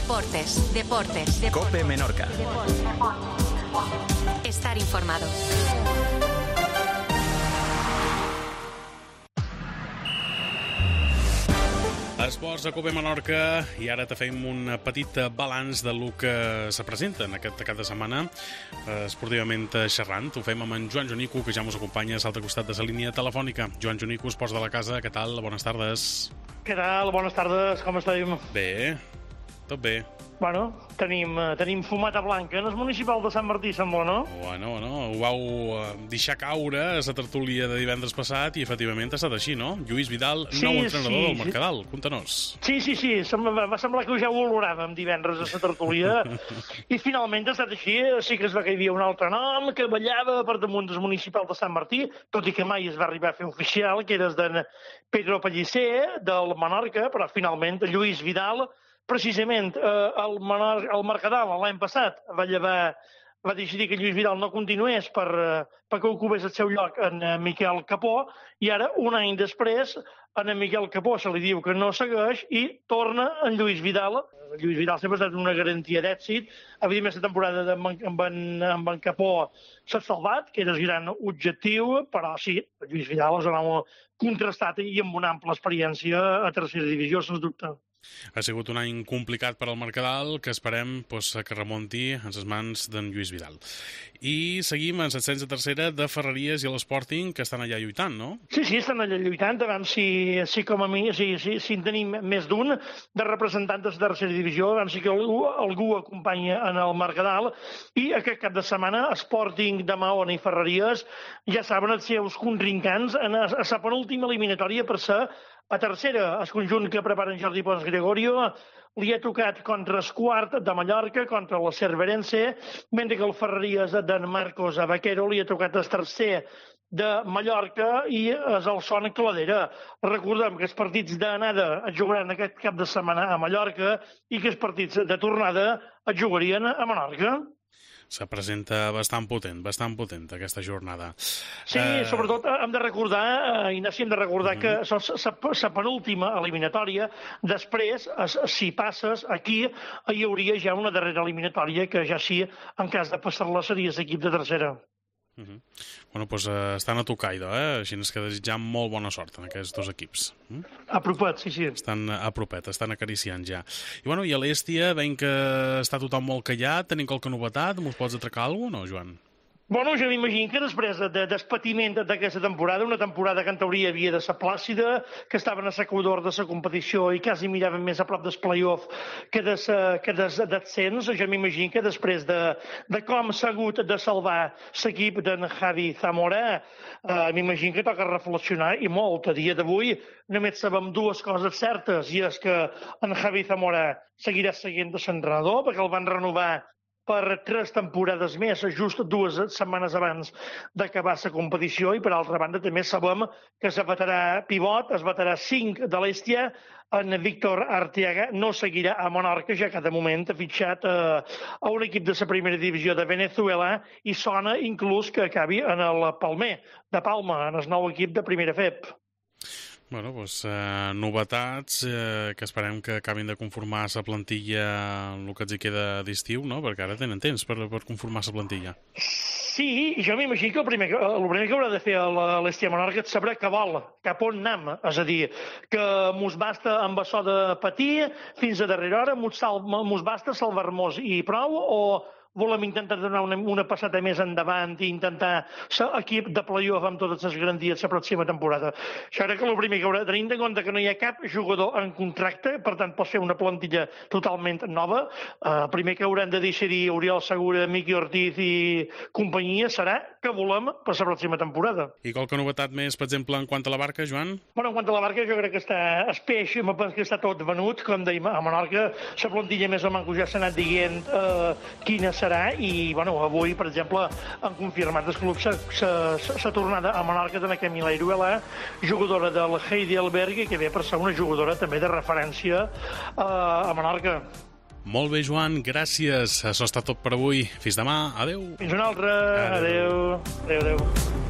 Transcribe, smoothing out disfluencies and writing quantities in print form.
Deportes. COPE Menorca. Estar informado. Esports a COPE Menorca, i ara te fem un petit balanç de lo que se presenta en aquest cap de setmana esportivament xerrant. Ho fem amb en Joan Jonico, que ja ens acompanya a l'altre costat de la línia telefònica. Joan Jonico, Esports de la Casa, què tal? Bones tardes. Què tal? Bones tardes, com esteu? Bé, tot bé. Bueno, tenim fumata blanca en el municipal de Sant Martí, sembla, no? Bueno, ho vau deixar caure a la tertúlia de divendres passat i efectivament ha estat així, no? Lluís Vidal, nou entrenador del Mercadal. Conta-nos. Sí. Va semblar que ja ho oloràvem divendres a la tertúlia i finalment ha estat així. Sí que es va que hi havia un altre nom que ballava per damunt del municipal de Sant Martí, tot i que mai es va arribar a fer oficial, que era d'en Pedro Pellicer, del Menorca, però finalment Lluís Vidal, precisament el Mercadal l'any passat va decidir que Lluís Vidal no continués perquè ocupés el seu lloc en Miquel Capó, i ara, un any després, en Miquel Capó se li diu que no segueix i torna en Lluís Vidal. Lluís Vidal sempre ha estat una garantia d'èxit. Evidentment, la temporada amb en Capó s'ha salvat, que era el gran objectiu, però sí, Lluís Vidal és un home contrastat i amb una ampla experiència a tercera divisió, sens dubte. Ha sigut un any complicat per al Mercadal, que esperem que remonti en les mans d'en Lluís Vidal. I seguim en l'ascens de tercera de Ferreries i l'Sporting, que estan allà lluitant, no? Sí, estan allà lluitant, a veure si com a mi, si en tenim més d'un de representants de tercera divisió, a veure si que algú acompanya en el Mercadal, i aquest cap de setmana Sporting de Mahón i Ferreries ja saben els seus contrincants a la penúltima eliminatòria per ser a tercera. El conjunt que prepara en Jordi Pons Gregorio li ha tocat contra el quart de Mallorca, contra la Cerverense, mentre que el Ferreries d'en Marcos Vaquero li ha tocat el tercer de Mallorca i el Son Cladera. Recordem que els partits d'anada es jugaran aquest cap de setmana a Mallorca i que els partits de tornada es jugarien a Menorca. Se presenta bastant potent aquesta jornada. Sí, sobretot hem de recordar, Ignasi, que la penúltima eliminatòria, després, si passes, aquí hi hauria ja una darrera eliminatòria que ja sí, en cas de passar-la, seria l'equip de tercera. Bueno, doncs estan a tocar, així que desitjam molt bona sort en aquests dos equips. Apropet, sí. Estan apropet, estan acariciant ja. I a l'Èstia, veiem que està tothom molt callat, tenim qualque novetat, mos pots atracar alguna cosa, no, Joan? Bueno, jo m'imagino que després del patiment d'aquesta temporada, una temporada que en teoria havia de ser plàcida, que estaven a l'equador de la competició i quasi miraven més a prop del play-off que d'ascens, jo m'imagino que després de com s'ha hagut de salvar l'equip d'en Javi Zamora, m'imagino que toca reflexionar i molt. A dia d'avui només sabem dues coses certes, i és que en Javi Zamora seguirà seguint de l'entrenador, perquè el van renovar per 3 temporades més, just 2 setmanes abans d'acabar la competició, i per altra banda també sabem que el veterà pivot, el veterà 5 de l'Èstia, en Víctor Arteaga, no seguirà a Menorca, ja que de moment ha fitxat a un equip de la primera divisió de Venezuela i sona inclús que acabi en el Palmer de Palma, en el nou equip de primera FEP. Bueno, doncs novetats que esperem que acabin de conformar la plantilla el que els hi queda d'estiu, no? Perquè ara tenen temps per conformar la plantilla. Sí, jo m'imagino que el primer que haurà de fer l'Èstia Menorca és saber què vol, cap on anem. És a dir, que mos basta amb açò de patir fins a darrera hora, mos basta salvar-nos i prou, o volem intentar donar una passada més endavant i intentar ser equip de play-off amb totes les garanties la pròxima temporada. Això era que el primer que haurà de tenir en compte que no hi ha cap jugador en contracte, per tant pot ser una plantilla totalment nova. El primer que hauran de decidir Oriol Segura, Miqui Ortiz i companyia serà què volem per la pròxima temporada. I qualque novetat més, per exemple, en quant a la barca, Joan? Bueno, en quant a la barca jo crec que el peix que està tot venut, com dèiem, a Menorca. La plantilla més o menys ja s'ha anat dient quina serà, i avui, per exemple, han confirmat el club la tornada a Menorca de la Camila Iruela, jugadora del Heidelberg, que ve per ser una jugadora també de referència a Menorca. Molt bé, Joan, gràcies. Això està tot per avui. Fins demà. Adéu. Fins una altra. Adéu. Adéu.